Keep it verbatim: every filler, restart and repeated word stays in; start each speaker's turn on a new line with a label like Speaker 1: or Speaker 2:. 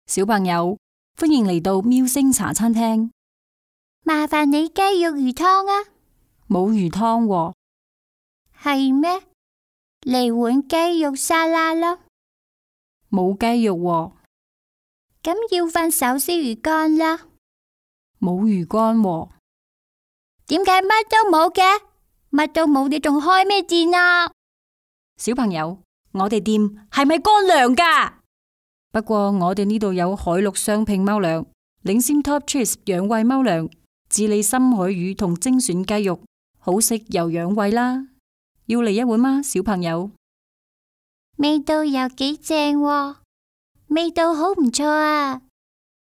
Speaker 1: 小朋友，歡迎嚟到喵星茶餐廳。
Speaker 2: 麻煩你雞肉魚湯啊。
Speaker 1: 冇魚湯喎。
Speaker 2: 係咩？嚟碗雞肉沙拉啦。
Speaker 1: 冇雞肉喎。
Speaker 2: 咁要份手撕魚乾啦。
Speaker 1: 冇魚乾喎。
Speaker 2: 點解乜都冇嘅？乜都冇，你仲開咩店啊？
Speaker 1: 小朋友，我哋店係咪乾糧㗎？不過我哋呢度有海陸雙拼貓糧、領先 Top Cheese 養胃貓糧、智利深海魚同精選雞肉，好食又養胃啦。要嚟一碗嗎，小朋友？
Speaker 2: 味道又幾正喎，味道好唔錯啊！